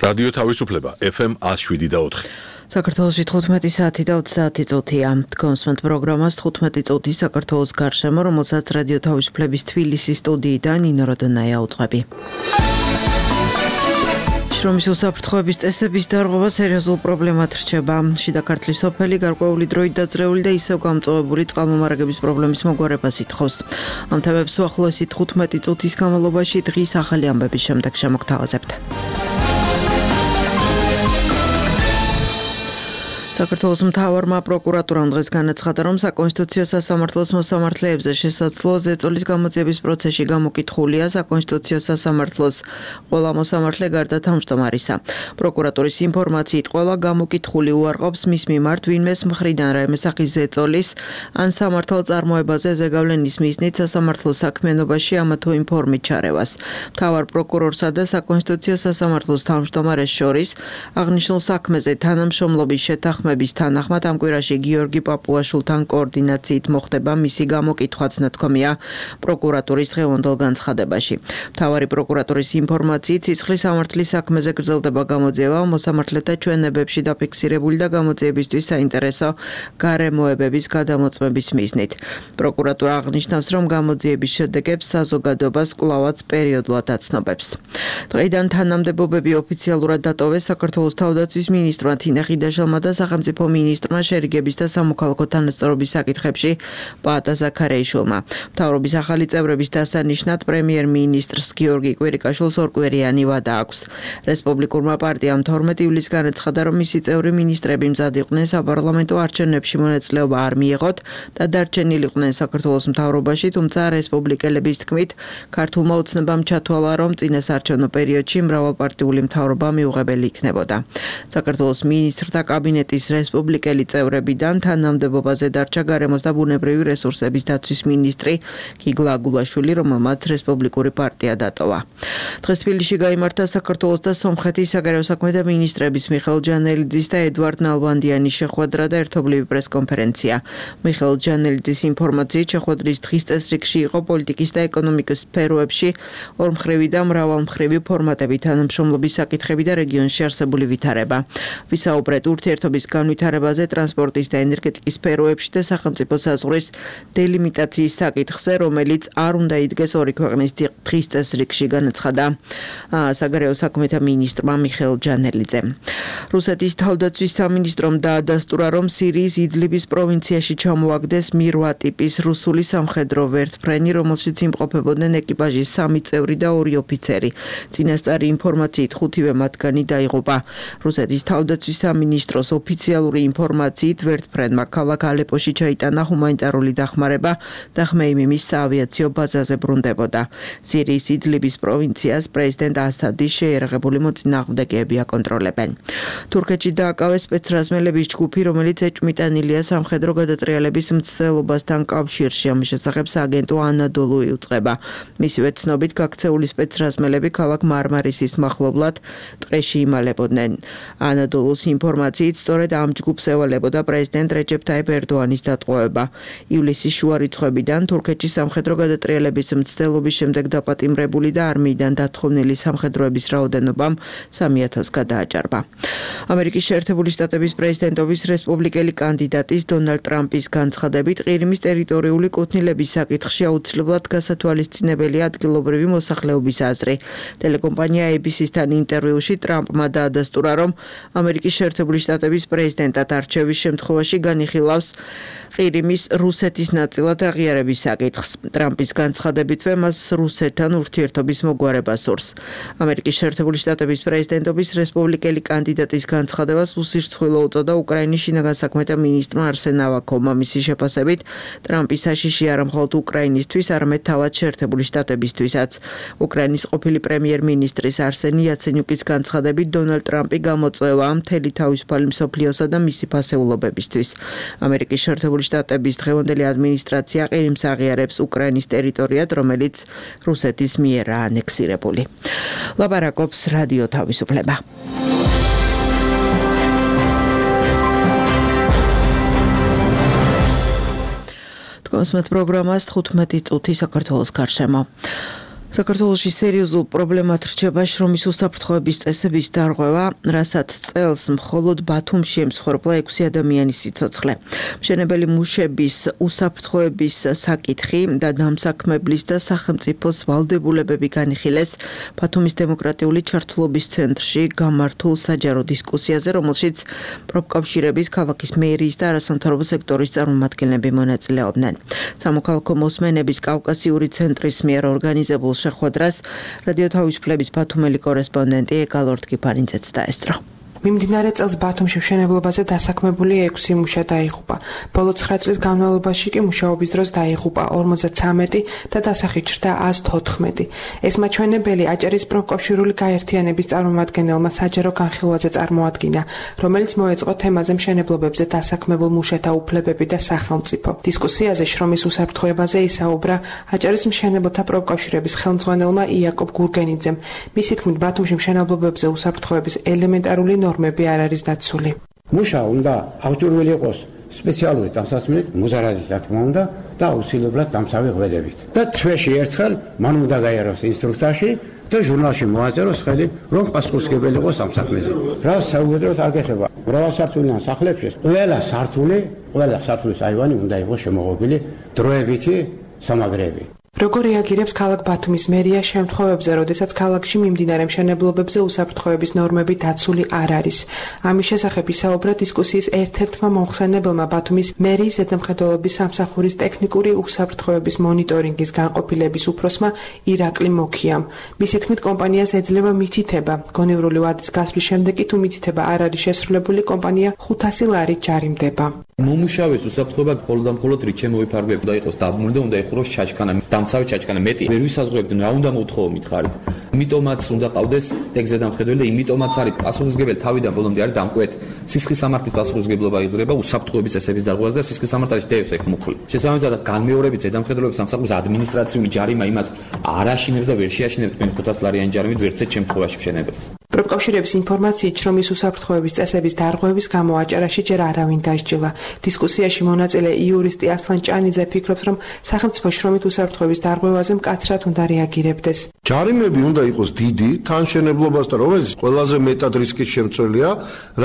რადიო თავისუფლება FM 107.4. საქართველოში 15 საათი და 30 წუთია. კონსმენტ პროგრამას 15 წუთი საქართველოს გარშემო, რომელსაც რადიო თავისუფლების თბილისის სტუდიიდან ნინო როდონაია უძღვები. შრომის უსაფრთხოების წესების დარღვევა სერიოზულ პრობლემად რჩება. შიდა ქართლის სოფელი გარკვეული დროით დაძრეული და ისევ გამწვავებული წყალმომარაგების პრობლემის მოგვარებას ითხოვს. ამ თემებს უახლოესი 15 წუთის განმავლობაში დღის ახალი ამბების შემდეგ შემოგთავაზებთ. საქართველოს მთავარმა პროკურატურამ დღეს განაცხადა, რომ საკონსტიტუციო სასამართლოს მოსამართლეებზე შესაძლო ზეწოლის გამოძიების პროცესში გამოკითხულია საკონსტიტუციო სასამართლოს ყველა მოსამართლე გარდა თავმჯდომარისა. პროკურატურის ინფორმაციით ყველა გამოკითხული უარყოფს მის მიმართ ვინმეს მხრიდან რაიმე სახის ზეწოლის ან სამართალ წარმოებაზე ზეგავლენის მიზნით სასამართლოს საქმიანობაში ამა თუ იმ ფორმით ჩარევას. მთავარ პროკურორსა და საკონსტიტუციო სასამართლოს თავმჯდომარეს შორის აღნიშნულ საქმეზე თანამშრომლობის შეთანხმება თანახმად ამ კვირაში გიორგი პაპუაშვილთან კოორდინაციით მოხდება მისი გამოკითხვაც ნათქვამია პროკურატურის დღევანდელ განცხადებაში. მთავარი პროკურატურის ინფორმაციით ცისხლის სამართლის საქმეზე გრძელდება გამოძიება მოსამართლეთა ჩვენებებში დაფიქსირებული და გამოძიებისთვის საინტერესო გარემოებების გადამოწმების მიზნით. პროკურატურა აღნიშნავს, რომ გამოძიების შედეგებს საზოგადოებას კვლავაც პერიოდულად აცნობებს. დღეიდან თანამდებობები ოფიციალურად დატოვეს საქართველოს თავდაცვის მინისტრმა თინა ხიდაშელმა და სახელმწიფო მინისტრმა შერიგების და სამოქალაქო თანასწორობის საკითხებში პაატა ზაქარეიშვილმა. მთავრობის ახალი წევრების დასანიშნად პრემიერ-მინისტრს გიორგი კვირიკაშვილს ორკვირიანი ვადა აქვს. რესპუბლიკურმა პარტიამ 12 ივლისს განაცხადა, რომ მისი წევრი მინისტრები მზად იყვნენ საპარლამენტო არჩევნებში მონაწილეობა არ მიიღოთ და დარჩენილიყვნენ საქართველოს მთავრობაში, თუმცა რესპუბლიკელების თქმით, ქართულმა ოცნებამ ჩათვალა, რომ წინასაარჩევნო პერიოდში მრავალპარტიული მთავრობა მიუღებელი იქნებოდა. საქართველოს მინისტრთა კაბინეტის რესპუბლიკელი წევრებიდან თანამდებობაზე დარჩა გარემოს და ბუნებრივი რესურსების დაცვის მინისტრი გიგლა აგულაშვილი, რომელმაც რესპუბლიკური პარტია დატოვა. დღეს თბილისში გაიმართა საქართველოს და სომხეთის საგარეო საქმეთა მინისტრების მიხეილ ჯანელიძის და ედვარდ ნალბანდიანის შეხვედრა და ერთობლივი პრესკონფერენცია. მიხეილ ჯანელიძის ინფორმაციით შეხვედრის დღის წესრიგში იყო პოლიტიკის და ეკონომიკის სფეროებში ორმხრივი და მრავალმხრივი ფორმატები, თანამშრომლობის საკითხები და რეგიონში არსებული ვითარება. ვისაუბრეთ ურთიერთობის განვითარებაზე ტრანსპორტის და ენერგეტიკის სფეროებში და სახელმწიფო საზღვრის დელიმიტაციის საკითხზე, რომელიც არ უნდა იდგეს ორი ქვეყნის დღის წესრიგში, განაცხადა საგარეო საქმეთა მინისტრმა მიხეილ ჯანელიძემ. რუსეთის თავდაცვის სამინისტრომ დაადასტურა, რომ სირიის იდლიბის პროვინციაში ჩამოაგდეს მირვა ტიპის რუსული სამხედრო ვერტმფრენი, რომელშიც იმყოფებოდნენ ეკიპაჟის 3 წევრი და 2 ოფიცერი. წინასწარი ინფორმაციით 5-ვე მათგანი დაიღუპა. რუსეთის თავდაცვის სამინისტროს ოფიციალური ინფორმაციით ვერტმფრენმა ქალაქ ალეპოში ჩაიტანა ჰუმანიტარული დახმარება და ხმეიმიმის საავიაციო ბაზაზე ბრუნდებოდა. სირიის იდლიბის პროვინციას პრეზიდენტ ასადის შეიარაღებული მოწინააღმდეგეები აკონტროლებენ. თურქეთში დააკავეს სპეცრაზმელების ჯგუფი, რომელიც ეჭვმიტანილია სამხედრო გადატრიალების მცდელობასთან კავშირში. ამის შესახებ სააგენტო ანადოლუ იუწყება. მისივე ცნობით გაქცეული სპეცრაზმელები ქალაქ მარმარისის მახლობლად ტყეში იმალებოდნენ. ანადოლუს ინფორმაციით სწორედ ამ ჯგუფს ევალებოდა პრეზიდენტ რეჯეფ ტაიპ ერდოანის დატყვევება. ივლისის შუა რიცხვებიდან თურქეთში სამხედრო გადატრიალების მცდელობის შემდეგ დაპატიმრებული და არმიიდან დათხოვნილი სამხედროების რაოდენობამ 3000 გადააჭარბა. ამერიკის შეერთებული შტატების პრეზიდენტობის რესპუბლიკელი კანდიდატის დონალდ ტრამპის განცხადებით, ყირიმის ტერიტორიული კუთვნილების საკითხში აუცილებლად გასათვალისწინებელია ადგილობრივი მოსახლეობის აზრი. ტელეკომპანია ABC-სთან ინტერვიუში ტრამპმა დაადასტურა, რომ ამერიკის შეერთებული შტატების პრეზიდენტად არჩევის შემთხვევაში განიხილავს ყირიმის რუსეთის ნაწილად აღიარების საკითხს. ტრამპის განცხადებითვე მას რუსეთთან ურთიერთობის მოგვარება სურს. ამერიკის შეერთებული შტატების პრეზიდენტობის რესპუბლიკელი კანდიდატის განცხადებას უსირცხვილო უწოდა უკრაინის შინაგან საქმეთა მინისტრმა არსენ ავაკოვმა. მისი შეფასებით, ტრამპის საშიში არა მხოლოდ უკრაინისთვის, არამედ თავად შეერთებული შტატებისთვისაც. უკრაინის ყოფილი პრემიერ-მინისტრის არსენი იაცენიუკის განცხადებით, დონალდ ტრამპი გამოწვევა მთელი თავისუფალი მსოფლიოსა და მისი ფასეულობებისთვის. ამერიკის შეერთებული შტატების დღევანდელი ადმინისტრაცია ყირიმს აღიარებს უკრაინის ტერიტორიად, რომელიც რუსეთის მიერაა ანექსირებული. ლაპარაკობს რადიო თავისუფლება. კონსმეთ პროგრამას 15 წუთი საქართველოს გარშემო. საქართველოში სერიოზულ პრობლემად რჩება შრომის უსაფრთხოების წესების დარღვევა, რასაც წელს მხოლოდ ბათუმში ემსხვერპლა 6 ადამიანის სიცოცხლე. მშენებელი მუშების უსაფრთხოების საკითხი და დამსაქმებლის და სახელმწიფოს ვალდებულებები განიხილეს ბათუმის დემოკრატიული ჩართულობის ცენტრში გამართულ საჯარო დისკუსიაზე, რომელშიც პროფკავშირების, ქალაქის მერიის და არასამთავრობო სექტორის წარმომადგენლები მონაწილეობდნენ. სამოქალაქო მოსმენების კავკასიური ცენტრის მიერ ორგანიზებულ შეხვედრას რადიო თავისუფლების ბათუმელი კორესპონდენტი ეკალორდ კიფარინძეც დაესწრო. მიმდინარე წელს ბათუმში მშენებლობაზე დასაქმებული 6 მუშა დაიღუპა. ბოლო 9 წლის განმავლობაში კი მუშაობის დროს დაიღუპა 53 და დასახით ჩრდა 114. ეს მაჩვენებელი აჭარის პროფკავშირული გაერთიანების წარმომადგენელმა საჯარო განხილვაზე წარმოადგინა, რომელიც მოეწყო თემაზე მშენებლობებზე დასაქმებულ მუშათა უფლებები და სახელმწიფო. დისკუსიაზე შრომის უსაფრთხოებაზე ისაუბრა აჭარის მშენებლთა პროფკავშირების ხელმძღვანელმა იაკობ გურგენიძემ. მისი თქმით, ბათუმში მშენებლობებზე უსაფრთხოების ელემენტარული ნორმები არ არის დაცული. მუშა უნდა აღჭურვილი იყოს სპეციალური დამსაცმელით, მუზარადის რა თქმა უნდა და აუცილებლად დამცავი ღვედებით. და თვეში ერთხელ მან უნდა გაიაროს ინსტრუქტორში და ჟურნალში მოაწეროს ხელი, რომ პასუხისმგებელი იყოს ამ საქმეზე. რა საუბედროთ არ გეხება. მრავალსართულიან სახლებში ყველა სართულის აივანი უნდა იყოს შემოღობილი დროებითი სამაგრეებით. როგორ რეაგირებს ქალაქ ბათუმის მერია შემთხვევებზე, როდესაც ქალაქში მიმდინარე მშენებლობებზე უსაფრთხოების ნორმები დაცული არ არის? ამის შესახებ ისაუბრა დისკუსიის ერთ-ერთმა მომხსენებელმა ბათუმის მერიის ზედამხედველობის სამსახურის ტექნიკური უსაფრთხოების მონიტორინგის განყოფილების უფროსმა ირაკლი მოქიამ. მისი თქმით, კომპანიას ეძლევა მითითება. გონივრული ვადის გასვლის შემდეგ თუ მითითება არ არის შესრულებული, კომპანია 500 ლარით ჯარიმდება. მომუშავეს უსაფრთხოება მხოლოდ რით შემოიფარგლება და იყოს დაბმული და უნდა იხუროს ჩაჩქანა. დამცავი ჩაჩქანა მეტი ვერ ვისაზღვრებდნენ რა უნდა მოთხოვო მითხარით. იმიტომაც უნდა ყავდეს ტექზედამხედველი და იმიტომაც არის პასუხისმგებელი თავიდან ბოლომდე არის დამკვეთ. სისხლის სამართლის პასუხისმგებლობა იძლევა უსაფრთხოების წესების დარღვევას და სისხლის სამართალი დევს ეგ მოხული. შესაბამისად განმეორებით ზედამხედველობის სამსახურის ადმინისტრაციული ჯარიმა იმას არ აშინებს და ვერ შეაშინებს თქვენ 500 ლარიანი ჯარიმით ვერცეთ შემთხვევაში მშენებელს. პროფკავშირების ინფორმაციით შრომის უსაფრთხოების წესების დარღვევის გამო აჭარაში ჯერ არავინ დასჯილა. დისკუსიაში მონაწილე იურისტი ასლან ჭანიძე ფიქრობს, რომ სახელმწიფო შრომით უსაფრთხოების დარღვევაზე მკაცრად უნდა რეაგირებდეს. ჯარიმები უნდა იყოს დიდი, თანშენებლობასთან, რომელიც ყველაზე მეტად რისკის შემცველია.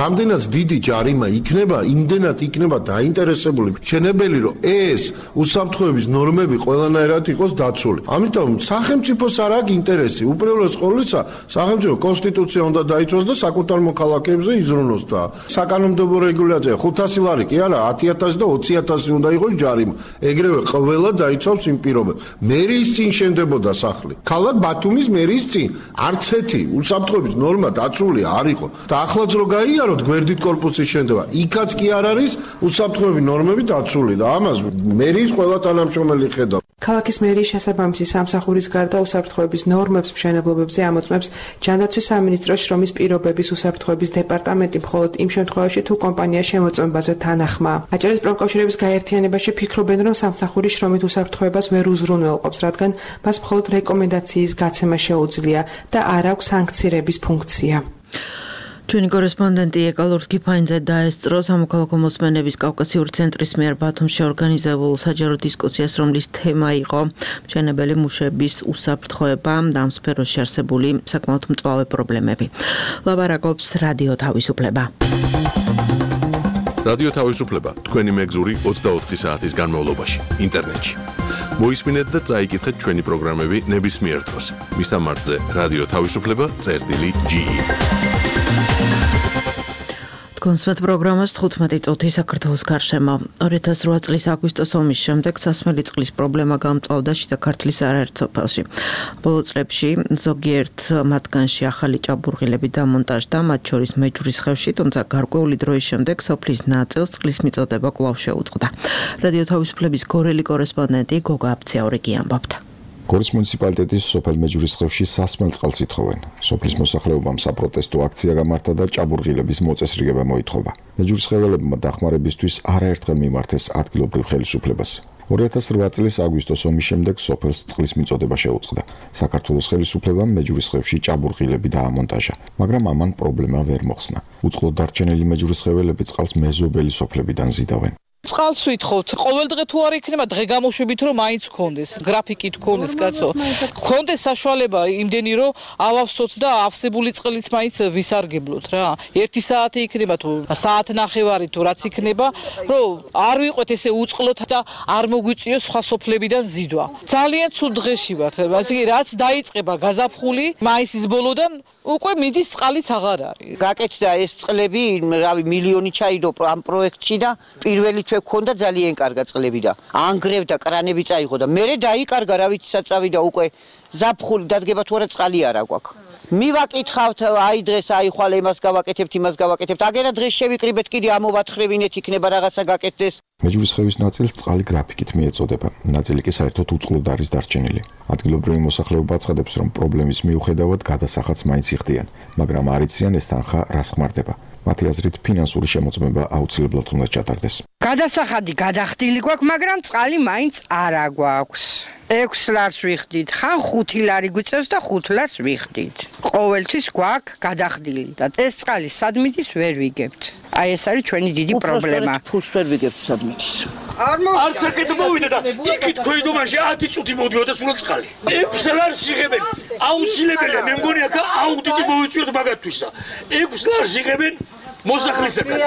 რამდენად დიდი ჯარიმა იქნება, იმდენად იქნება დაინტერესებული მშენებელი, რომ ეს უსაფრთხოების ნორმები ყველანაირად იყოს დაცული. ამიტომ სახელმწიფოს არ აქვს ინტერესი, უპირველეს ყოვლისა სახელმწიფო კონსტიტუცია უნდა დაიცვას და საკუთარ მოქალაქეებზე იზრუნოს და საკანონმდებლო რეგულაცია 500 ლარი კი არა 10,000 და 20,000 უნდა იყოს ჯარიმა. ეგრევე ყველა დაიცავს იმ პირობებს. მერიის წინ შენდებოდა სახლი. ქალაქ ბათუმის მერიის წინ არც ერთი უსაფრთხოების ნორმა დაცული არ იყო. და ახლაც რო გაიაროთ გვერდით კორპუსის შენდება, იქაც კი არ არის უსაფრთხოების ნორმები დაცული და ამას მერიის ყველა თანამშრომელი ხედავს. ქალაქის მერიის შესაბამისი სამსახურის გარდა უსაფრთხოების ნორმებს მშენებლობებზე ამოწმებს ჯანდაცვის სამინისტროს შრომის პირობების უსაფრთხოების დეპარტამენტი მხოლოდ იმ შემთხვევაში თუ კომპანია შემოწმებაზე თანახმაა. აჭარის პროფკავშირების გაერთიანებაში ფიქრობენ, რომ სამსახური შრომით უსაფრთხოებას ვერ უზრუნველყოფს, რადგან მას მხოლოდ რეკომენდაციის გაცემა შეუძლია და არ აქვს სანქცირების ფუნქცია. ჩვენი კორესპონდენტი ეკალორდ კიფარინძე დაესწრო სამოქალაქო მოსმენების კავკასიური ცენტრის მიერ ბათუმში ორგანიზებულ საჯარო დისკუსიას, რომლის თემა იყო მშენებელი მუშების უსაფრთხოება და ამ სფეროში არსებული საკმაოდ მწვავე პრობლემები. ლაბარაკობს რადიო თავისუფლება. რადიო თავისუფლება თქვენი მეგზური 24 საათის განმავლობაში ინტერნეტში. მოისმინეთ და წაიკითხეთ ჩვენი პროგრამები ნებისმიერ დროს. მისამართზე რადიო თავისუფლება.ge კონსვეთ პროგრამას 15 წუთი საქართველოს გარშემო. 2008 წლის აგვისტოს ომის შემდეგ სასმელი წყლის პრობლემა გამწვავდა შიდა ქართლის არაერთ სოფელში. ბოლო წლებში ზოგიერთ მათგანში ახალი ჭაბურღილები დამონტაჟდა, მათ შორის მეჯურის ხევში, თუმცა გარკვეული დროის შემდეგ სოფლის ნაწილს წყლის მიწოდება კვლავ შეუწყდა. რადიო თავისუფლების გორელი კორესპონდენტი გოგა აფციაურიგი ამბობდა. გორის მუნიციპალიტეტის სოფელ მეჯურის ხევში სასმელ წყალს ითხოვენ. სოფლის მოსახლეობამ საპროტესტო აქცია გამართა და ჭაბურღილების მოწესრიგება მოითხოვა. მეჯურის ხეველებმა დახმარებისთვის არაერთხელ მიმართეს ადგილობრივ ხელისუფლებას. 2008 წლის აგვისტოს ომის შემდეგ სოფელს წყლის მიწოდება შეუწყდა. საქართველოს ხელისუფლებამ მეჯურის ხევში ჭაბურღილები დაამონტაჟა, მაგრამ ამან პრობლემა ვერ მოხსნა. უწყლოდ დარჩენილი მეჯურის ხეველები წყალს მეზობელი სოფლებიდან ზიდავენ. წყალს ვითხოვთ. ყოველდღე თუ არ იქნება დღე გამოშვებით რომ მაინც გქონდეს, გრაფიკით გქონდეს კაცო. გქონდეს საშუალება იმდენი რომ ავავსოთ და ავსებული წყლით მაინც ვისარგებლოთ რა. 1 საათი იქნება თუ საათნახევარი თუ რაც იქნება, რომ არ ვიყვეთ ესე უწყლოთ და არ მოგვიწიოს სხვა სოფლებიდან ზიდვა. ძალიან ცუდ დღეში ვართ. ასე იგი რაც დაიწყება გაზაფხული, მაისის ბოლოდან უკვე მიდის წყალიც აღარ არის. გაკეთდა ეს წყლები, რავი, მილიონი ჩაიდო ამ პროექტში და პირველი თვე გქონდა ძალიან კარგა წყლები და ანგრევდა კრანები წაიღო და მერე დაიკარგა რა ვიცი საწავიდა უკვე ზაფხული დადგება თუ არა წყალი არა გვაქვს. მივაკითხავთ აი დღეს აიხვალე იმას გავაკეთებთ იმას გავაკეთებთ აგერა დღეს შევიკრიბეთ კიდე ამოვათხრევინეთ იქნება რაღაცა გაკეთდეს. მეჯურისხევის ნაწილს წყალი გრაფიკით მიეწოდება. ნაწილი კი საერთოდ უწყლოდ არის დარჩენილი. ადგილობრივი მოსახლეობა აცხადებს, რომ პრობლემის მიუხედავად გადასახადს მაინც იხდიან, მაგრამ არ იციან ეს თანხა რას ხმარდება. მათი აზრით ფინანსური შემოწმება აუცილებლად უნდა ჩატარდეს. გადასახადი გადახდილი გვაქვს, მაგრამ წყალი მაინც არა გვაქვს. 6 ლარს ვიხდით, ხან 5 ლარი გვიწევს და 5 ლარს ვიხდით. ყოველთვის გვაქვს გადახდილი და ეს წყალი სადმიდის ვერ ვიგებთ. აი ეს არის ჩვენი დიდი პრობლემა. ფულს ვერ ვიგებთ სადმიდის. არც აკეთ მოვიდა და იქით ქვედომაში 10 წუთი მოდიოდა სულ წყალი. 6 ლარს იღებენ. აუცილებელია, მე მგონი აქ აუდიტი მოვიწვიოთ მაგათვისა. 6 ლარს იღებენ მოსახლისაგან.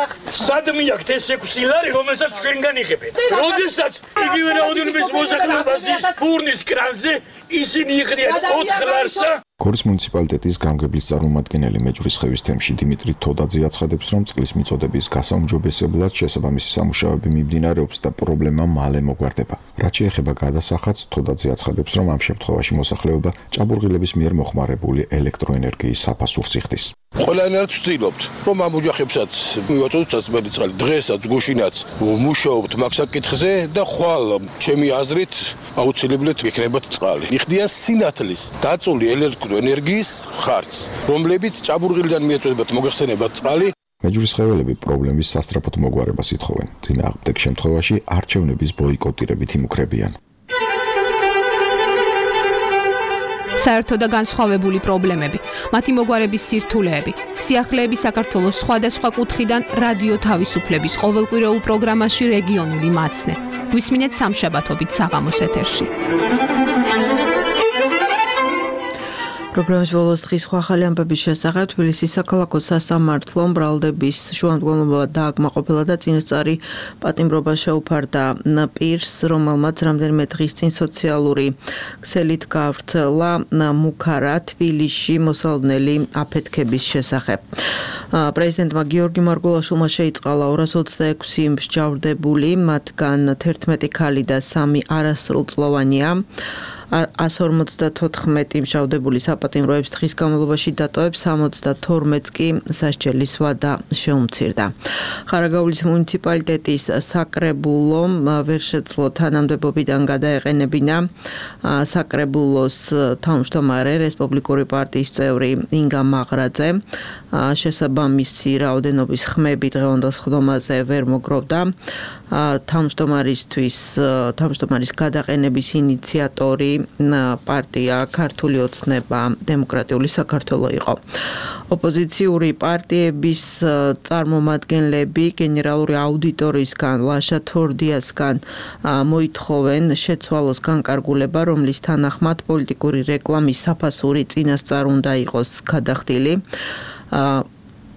სადმე აქვს ეს 6 ლარი, რომელსაც ჩვენგან იღებენ. როდესაც იგივე რაოდენობის მოსახლეობას ის ფურნის კრანზე ისინი იღდიან 4 ლარსა. გორის მუნიციპალიტეტის გამგებლის წარმომადგენელი მეჯურისხევის თემში დიმიტრი თოდაძე აცხადებს, რომ წყლის მიწოდების გასაუმჯობესებლად შესაბამისი სამუშაოები მიმდინარეობს და პრობლემა მალე მოგვარდება. რაც შეეხება გადასახადს, თოდაძე აცხადებს, რომ ამ შემთხვევაში მოსახლეობა ჭაბურღილების მიერ მოხმარებული ელექტროენერგიის საფასურს იხდის. ყველანაირად ვცდილობთ, რომ ამ ოჯახებსაც მივაწოდოთ საწმელი წყალი, დღესაც გუშინაც ვმუშაობთ მაგ საკითხზე და ხვალ ჩემი აზრით აუცილებლად იქნებათ წყალი. იხდიან სინათლის დაწული ელექტროენერგიის ხარჯს, რომლებიც ჭაბურღილიდან მიეწოდებათ მოგეხსენებათ წყალი. მეჯურისხეველები პრობლემის სასწრაფოდ მოგვარებას ითხოვენ. წინააღმდეგ შემთხვევაში არჩევნების ბოიკოტირებით იმუქრებიან. საერთო და განსხვავებული პრობლემები, მათი მოგვარების სირთულეები, სიახლეები საქართველოს სხვადასხვა კუთხიდან რადიო თავისუფლების ყოველკვირეულ პროგრამაში რეგიონული მაცნე. გვისმინეთ სამშაბათობით საღამოს ეთერში. პროგრამის ბოლოს დღის სხვა ახალი ამბების შესახებ თბილისის საქალაქო სასამართლომ ბრალდების შუამდგომლობა დააკმაყოფილა და წინასწარი პატიმრობა შეუფარდა პირს, რომელმაც რამდენიმე დღის წინ სოციალური ქსელით გავრცელა მუქარა თბილისში მოსალოდნელი აფეთქების შესახებ. პრეზიდენტმა გიორგი მარგულაშვილმა შეიწყალა 226 მსჯავრდებული, მათგან 11 ქალი და 3 არასრულწლოვანია. 154 მსჯავრდებული საპატიმროებს დღის განმავლობაში დატოვებს, 72-ს კი სასჯელის ვადა შეუმცირდა. ხარაგაულის მუნიციპალიტეტის საკრებულომ ვერ შეძლო თანამდებობიდან გადაეყენებინა საკრებულოს თავმჯდომარე რესპუბლიკური პარტიის წევრი ინგა მაღრაძე. შესაბამისი რაოდენობის ხმები დღევანდელ სხდომაზე ვერ მოგროვდა. თავმჯდომარის გადაყენების ინიციატორი პარტია ქართული ოცნება დემოკრატიული საქართველო იყო. ოპოზიციური პარტიების წარმომადგენლები გენერალური აუდიტორისგან ლაშა თორდიასგან მოითხოვენ შეცვალოს განკარგულება, რომლის თანახმად პოლიტიკური რეკლამის საფასური წინასწარ უნდა იყოს გადახდილი.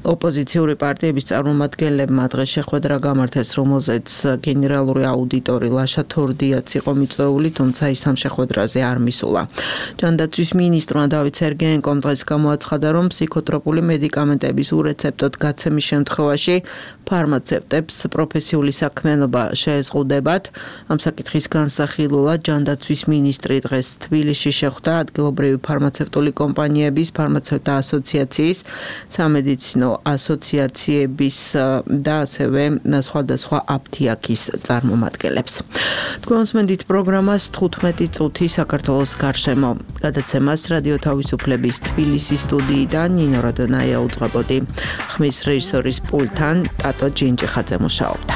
ოპოზიციური პარტიების წარმომადგენლებმა დღეს შეხვედრა გამართეს, რომელზეც გენერალური აუდიტორი ლაშა თორდიაც იყო მიწვეული, თუმცა ის ამ შეხვედრაზე არ მისულა. ჯანდაცვის მინისტრმა დავით სერგეენკომ დღეს გამოაცხადა, რომ ფსიქოტროპული მედიკამენტების ურეცეპტოდ გაცემის შემთხვევაში ფარმაცევტებს პროფესიული საქმიანობა შეეზღუდებათ. ამ საკითხის განსახილულად ჯანდაცვის მინისტრი დღეს თბილისში შეხვდა ადგილობრივი ფარმაცევტული კომპანიების, ფარმაცევტთა ასოციაციის, სამედიცინო ასოციაციების და ასევე სხვადასხვა აფთიაქის წარმომადგენლებს. თქვენ უსმენთ პროგრამას 15 წუთი საქართველოს გარშემო. გადაცემას რადიო თავისუფლების თბილისის სტუდიიდან ნინო რადონაია უძღვებოდი. ხმის რეჟისორის პულტთან ტატო ჯინჯიხაძე მუშაობდა.